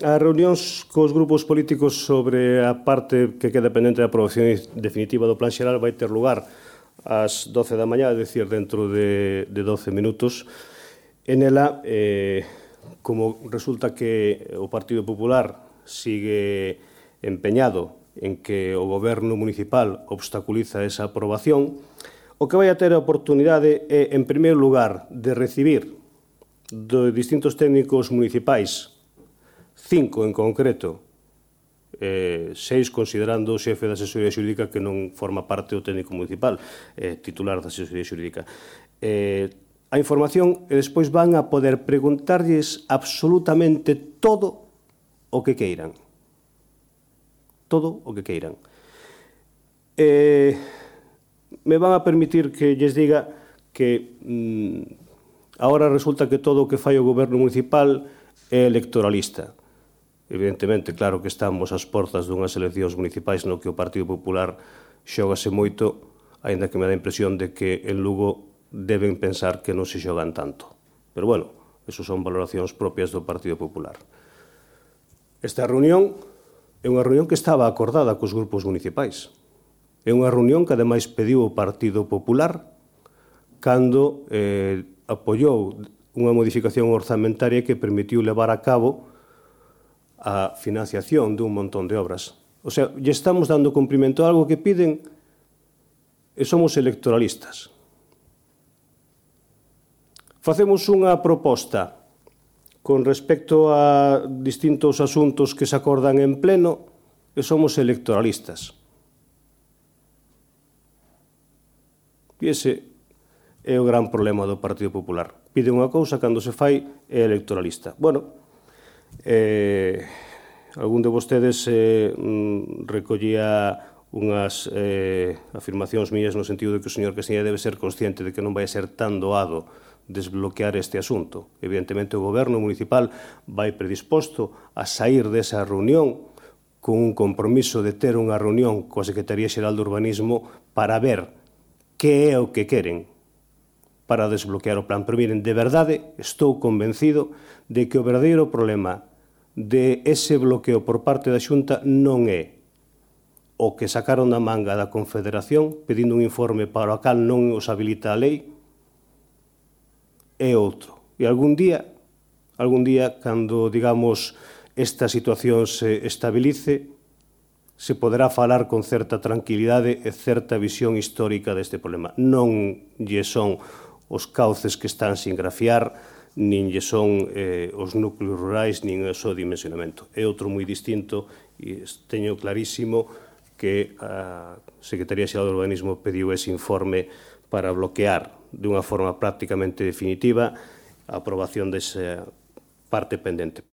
as reunións cos grupos políticos sobre a parte que queda pendente da aprobación definitiva do Plan Xeral vai ter lugar ás 12 da mañá, é dicir, dentro de 12 minutos. En ela, como resulta que o Partido Popular sigue empeñado en que o goberno municipal obstaculiza esa aprobación, o que vai a ter a oportunidade é, en primeiro lugar, de recibir de distintos técnicos municipais, 5 en concreto, 6 considerando o xefe da asesoría xurídica que non forma parte do técnico municipal, titular da asesoría xurídica. A información e despois van a poder preguntarlles absolutamente todo o que queiran. Todo o que queiran. Me van a permitir que lles diga que agora resulta que todo o que fai o goberno municipal é electoralista. Evidentemente, claro que estamos ás portas dunhas eleccións municipais no que o Partido Popular xógase moito, aínda que me dá a impresión de que en Lugo deben pensar que non se xogan tanto. Pero, bueno, eso son valoracións propias do Partido Popular. Esta reunión é unha reunión que estaba acordada cos grupos municipais. É unha reunión que, ademais, pediu o Partido Popular cando apoiou unha modificación orzamentaria que permitiu levar a cabo a financiación dun montón de obras. O sea, lle estamos dando cumprimento a algo que piden e somos electoralistas. Facemos unha proposta con respecto a distintos asuntos que se acordan en pleno e somos electoralistas. E ese é o gran problema do Partido Popular. Pide unha cousa, cando se fai é electoralista. Bueno, algún de vostedes recollía unhas afirmacións mías no sentido de que o señor Castiñeira debe ser consciente de que non vai ser tan doado desbloquear este asunto. Evidentemente, o goberno municipal vai predisposto a sair desa reunión con un compromiso de ter unha reunión coa Secretaría Xeral de Urbanismo para ver que é o que queren para desbloquear o plan. Pero miren, de verdade, estou convencido de que o verdadeiro problema de ese bloqueo por parte da Xunta non é o que sacaron da manga da Confederación pedindo un informe para o cal non os habilita a lei, é outro. E algún día, cando, digamos, esta situación se estabilice, se poderá falar con certa tranquilidade e certa visión histórica deste problema. Non lle son os cauces que están sin grafiar, nin lle son os núcleos rurais, nin o seu dimensionamento. É outro moi distinto e teño clarísimo que a Secretaría Xeral de Urbanismo pediu ese informe para bloquear dunha forma prácticamente definitiva a aprobación desa parte pendente.